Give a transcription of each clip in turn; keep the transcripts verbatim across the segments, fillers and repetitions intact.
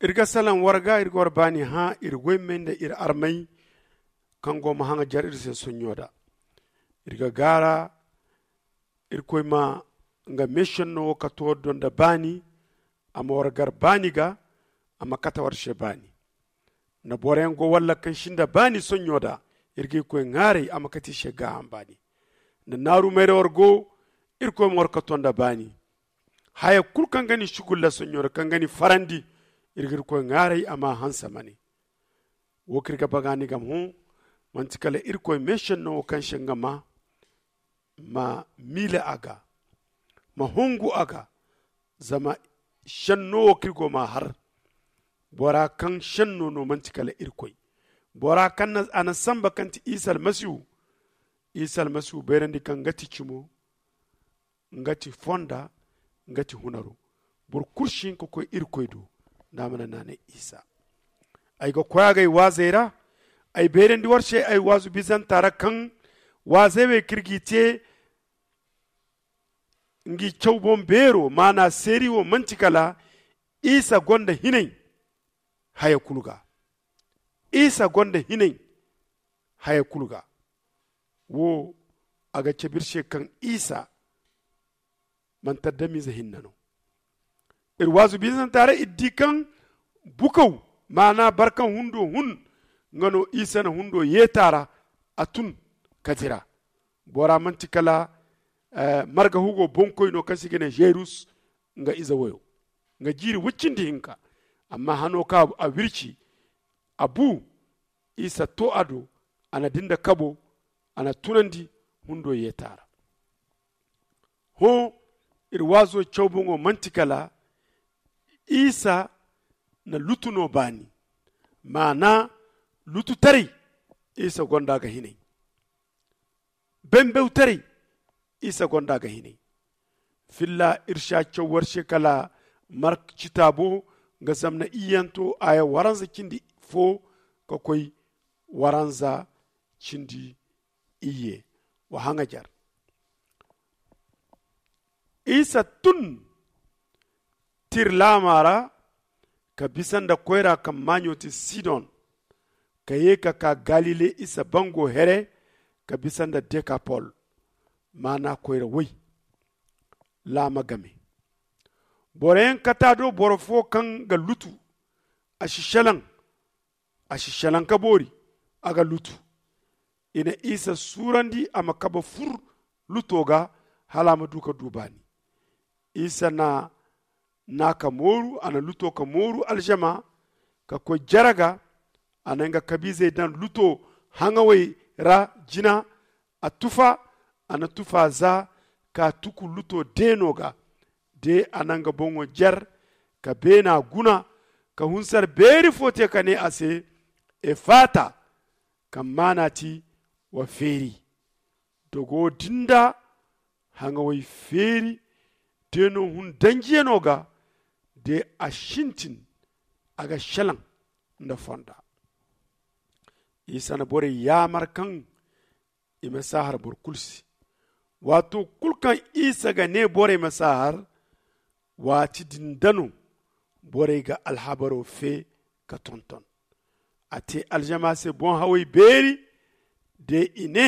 Iri ga salaŋ war ga iri ga war baani hã iri goy may nda iri armay kaŋ go ma haŋajer iri se sonɲo da. Iri ga gaara irkoy ma nga meesenno wo kate war do nda baani. A ma war gar baani ga. A ma kate war se baani. Nda boroyaŋ go walla kaŋ si nda baani sonɲo da, iri ga irkoy ŋaaray a ma kate i se gaaham baani. Nda naaru mayra war go, irkoy ma war kato nda baani. Haya kulu kaŋ ga ni sugulla sonɲo da kaŋ ga ni farandi, iri ga irkoy ŋaaray a ma hanse ma ne. Wo kaŋ iri ga baga ni game hõ, manti kala irkoy meesenno wo kaŋ se nga ma ma miila a ga, ma hungu a ga. Zama senno wo kaŋ iri go m'a har, bora kaŋ senno no manti kala irkoy, bora kaŋ a na samba kaŋ ti isa almasihu. Isa almasihu bayrandi kaŋ nga ti cimo, nga ti fonda, nga ti hunaro. Boro kulu si hin ka koy irkoy do nda a mana naanay isa. Ay ga koy a ga ay waazey ra. Ay bayrandi war se ay waazu bizanta ra kaŋ waazey wey kaŋ iri g'i te ngi caw boŋ beero maana seeri wo manti kala isa gonda hinay haya kulu ga. Isa gonda hinay haya kulu ga. Wo a ga cabe iri se kaŋ isa manti adamize hinne no. Iri waazu bizanta ra iri di kaŋ bukaw maana barkaŋ hundo hun nga no isa na hundo yeeta ra. A tun ka dira bora manti kala marga hugo bonkoy no kaŋ se i ga ne jerus. Nga ize wayo nga jiiri wuccindi hinka. Amma hano kaŋ a wirci a bu isa to a do. A na dinda kabo a na tunandi hundo yeeta ra. Hõ iri waazo cawboŋo manti kala isa na lutu no baani. Maana lututaray isa gonda ga hinay. Bembewtaray isa gonda ga hinay. Filla iri si a caw war se kala mark citaabo nga zamna iyyanto aya waranza cindi fo ka koy waranza cindi iyye. Wa haŋajer isa tun tir laama ra ka bisa nda koyra kaŋ maaɲo ti sidon ka ye ka ka galile isa bango here ka bisa nda dekapol. Maana koyra way laama game. Boroyaŋ kata do boro fo kaŋ ga lutu a si selaŋ. A si selaŋ ka boori a ga lutu. I na isa suurandi a ma kabe fur luto ga hala a ma du ka du baani. Isa na na ka mooru a na luto ka mooru alžama ka koy jere ga. A na nga kabiizey daŋ luto haŋawey ra jina. A tufa a na tufa za ka tuku luto deeno ga. De a na nga boŋo jer ka beena guna ka hunsar beeri fo te ka ne a se efata. Kaŋ maana ti wa feeri. Dogo din da haŋawey feeri deeno hun danjiyano ga. De a sintin a ga selaŋ nda fonda. Isa na borey yaamar kaŋ i ma si a har boro kulu se. Waato kulu kaŋ isa ga ne borey ma si a har waati din da no borey ga alhabaro fe ka tonton. A te alžama se boŋ-hawey beeri de i ne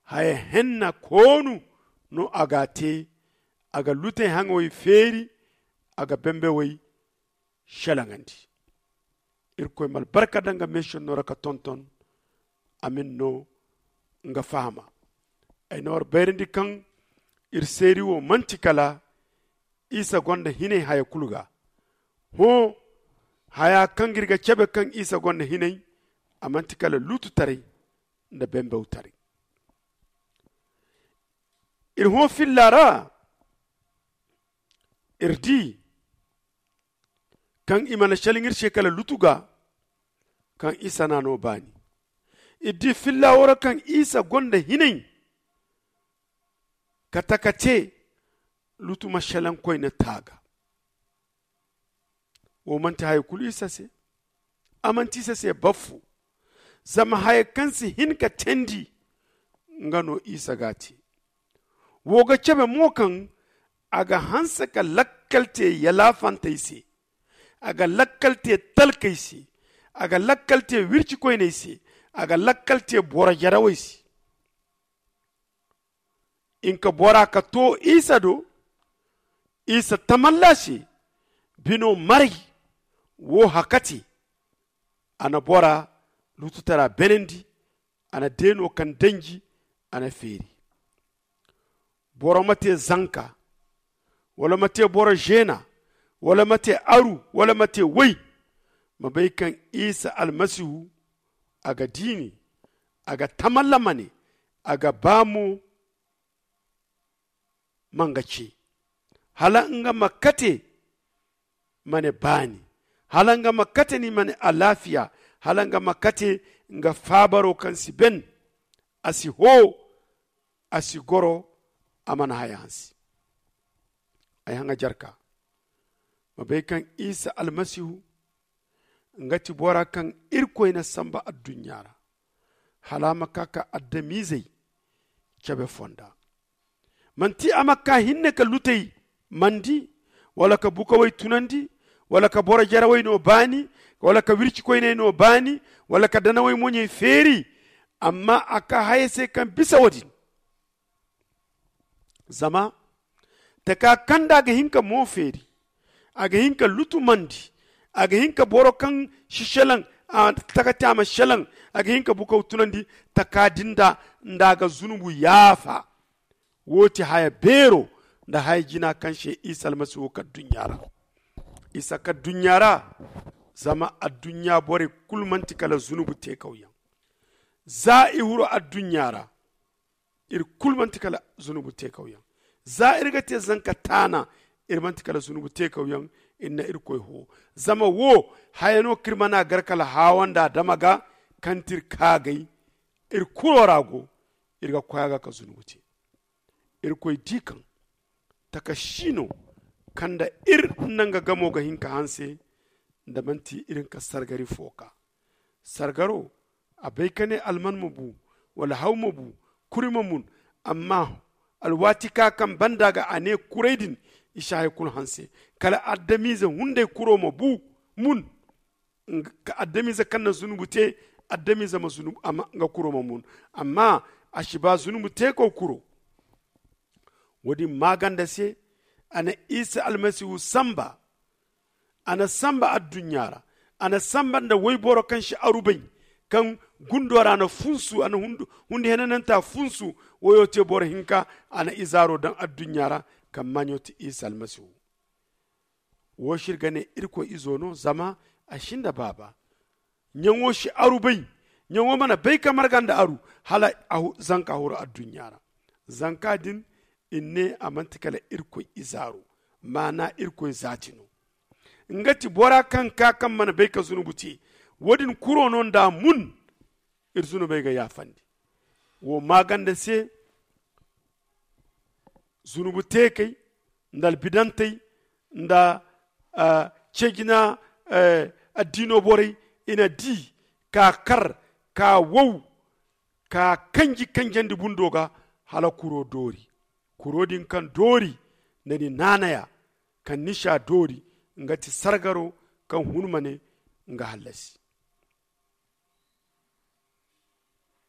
haya henna koonu no a ga a te. A ga lutey haŋawey feeri a ga bembewey selaŋandi. Irkoy ma albarka daŋ nga meesenno ra ka tonton. Amin no nga fahama. Ay na war bayrandi kaŋ iri seeri wo manti kala isa gonda hinay haya kulu ga. Hõ haya kaŋ ga iri ga cabe kaŋ isa gonda hinay a manti kala luututaray nda bembawtaray. Iri hõ filla ra iri di kaŋ i mana selaŋ iri se kala lutu ga kaŋ isa na no baani. Iri di filla wo ra kaŋ isa gonda hinay ka taka te lutu ma selaŋ koyne taaga. Wo manti haya kulu isa se. A manti isa se baffo. Zama haya kaŋ si hin ka teendi nga no isa ga a te. Wo ga cabe mo kaŋ a ga hanse ka lakkal te yalaafantey se. A ga lakkal te talkey se. A ga lakkal te wircikoyney se. A ga lakkal te boro jarawey se. Nga bora ka to isa do. Isa tamalla se. Bino maray wo hakate. A na bora lututara benandi. A na deeno kaŋ danji. A na feeri. Boro ma te zanka, wala ma te boro zeena, wala ma te aru, wala ma te way. Ma bay kaŋ isa almasihu a ga diini. A ga tamalla ma ne. A ga ba mo. Ma nga ce hala nga ma kate. Ma ne baani hala nga ma kate ni ma ne alaafiya. Hala nga ma kate nga faabaro kaŋ si ben. A si hoo. A si goro. A mana haya hansi. Ay haŋa jarka ma bay kaŋ isa almasihu nga ti bora kaŋ irkoy na samba adduɲɲa ra. Hala a ma ka ka adamizey cabe fonda. Manti a ma ka hinne ka lutey mandi, wala ka bukawey tunandi, wala ka boro jarawey no baani, wala ka wircikoyney no baani, wala ka danawey moɲey feeri. Amma a ka haya se kaŋ bisa wo-din. Zama taka kaŋ da a ga hin ka mo feeri, a ga hin ka lutumandi, a ga hin ka boro kaŋ si selaŋ, taka te a ma selaŋ, a ga hin ka bukaw tunandi taka din da nda a ga zunubu yaafa. Wo ti haya beero nda haya jina kaŋ se isa almasihu ka adduɲɲa ra. Isa ka adduɲɲa ra. Zama adduɲɲa borey kulu manti kala zunubu teekawyaŋ. Za i huru adduɲɲa ra iri kulu manti kala zunubu teekawyaŋ. Za iri ga te zanka taana iri manti kala zunubu teekawyaŋ. Iri na irkoy hoo. Zama wo haya no kaŋ iri mana gar kala haawa nda adama ga kaŋ ti iri kaagay. Iri kuro ra go iri ga koy a ga ka zunubu te. Irkoy di kaŋ taka si no kaŋ nda iri nda nga gamo ga hin ka hanse. Nda manti iri hin ka sargari fo ka sargaro a bay ka ne alman ma bu wala haw ma bu kuri ma mun. Amma alwaati ka kaŋ banda ga a ne kuray din i si haya kulu hanse kala adamize hunday kuro ma bu mun. Ka adamize kaŋ na zunubu te adamize ma zunubu nga kuro ma mun. Amma a si ba zunubu te kaw kuro. Wo-din maaganda se a na isa almasihu samba. A na samba adduɲɲa ra a na samba nda wayboro kaŋ si arubay kaŋ gundo ra a na funsu a na hundi henananta funsu. Wayo te boro hinka a na izaaro daŋ adduɲɲa ra kaŋ maaɲo ti isa almasihu. Wo si iri ga ne irkoy izo no zama a si nda baaba. Ɲaŋo si aru bay. Ɲaŋo mana bay ka marga nda aru hala zanka huru adduɲɲa ra. Zanka din i ne a manti kala irkoy izaaro. Maana irkoy zaati no. Nga ti bora kaŋ ka kaŋ mana bay ka zunubu te. Wo-din kuro no nda a mun iri zunubey ga yaafandi. Wo maaganda se zunubu teekey nda albidantey nda cejina addiino borey i na di ka kar ka wow ka kanji kanjandi bundo ga hala kuro doori. Kuro din kaŋ doori nda ni naanaya kaŋ ni si a doori nga ti sargaro kaŋ hun ma ne nga hallasi.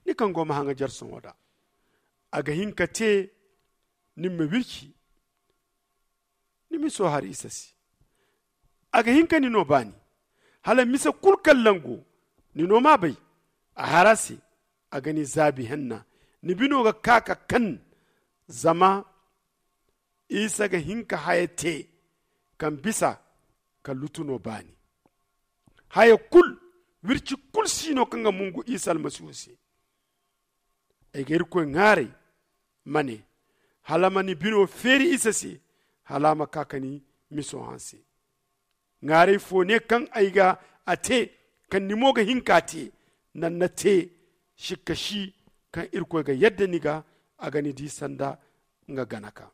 Ni kaŋ go ma haŋajar sohõ da a ga hin ka te ni ma wirci. Ni miso har isa se a ga hin ka ni no baani hala mise kulu kaŋ lango ni no ma bay. A har a se a ga ni zaabi henna ni bino ga ka ka kan. Zama isa ga hin ka haya te kaŋ bisa ka lutu no baani. Haya kulu wirci kulu si no kaŋ ga mungu isa almasihu se. Ay ga irkoy ŋwaaray ma ne hala ma ni bino feeri isa se hala a ma ka ka ni miso hanse. Ŋwaaray fo ne kaŋ ay ga a te kaŋ ni mo ga hin ka te. Naŋ na te sikka si kaŋ irkoy ga yadda ni ga a ga ni di sanda nga gana ka.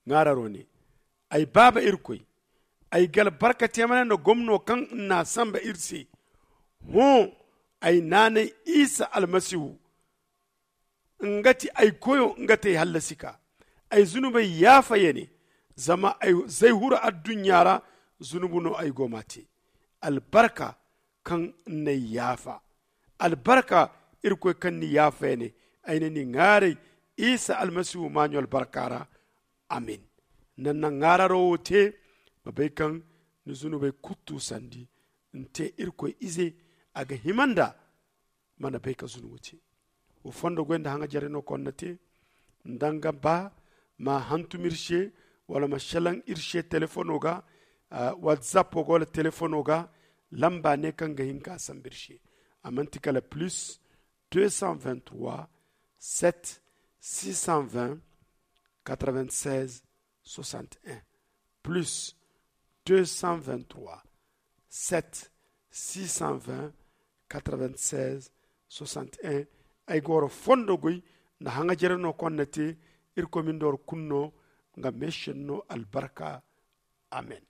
Ŋwaararo ne ay baaba irkoy ay ga albarka te mana nda gomno kaŋ n'a samba iri se. Hõ ay naanay isa almasihu nga ti ay koyo nga ti ay hallasi ka ay zunubey yaafa ya ne. Zama ay zay huru adduɲɲa ra zunubu no ay go m'a te. Albarka kaŋ n'ay yaafa. Albarka irkoy kaŋ ni yaafa ya ne, ay na ni ŋaaray isa almasihu maaɲo albarka ra. Amin. Nanna ŋaararo wo te ma bay kaŋ ni zunubey kulu tuusandi. Ni te irkoy ize a ga hima nda mana bay ka zunubu te. Wo fondo goy nda haŋajerey no kaŋ ni na te. Ni danga ba ma hantum iri se wala ma selaŋ iri se telefono ga. Whatsapp go wala telefono ga lamba ne kaŋ ga hin ka sambu iri se. A manti kala plus deux cent vingt trois sept six cent vingt quatre vingt seize soixante et un, plus deux cent vingt trois sept six cent vingt quatre vingt seize soixante et un. Ay ga wara fondo goy nda haŋajere no kaŋ ni na te. Irkoy ma ni nda wara kulu no nga meesenno albarka. Amen.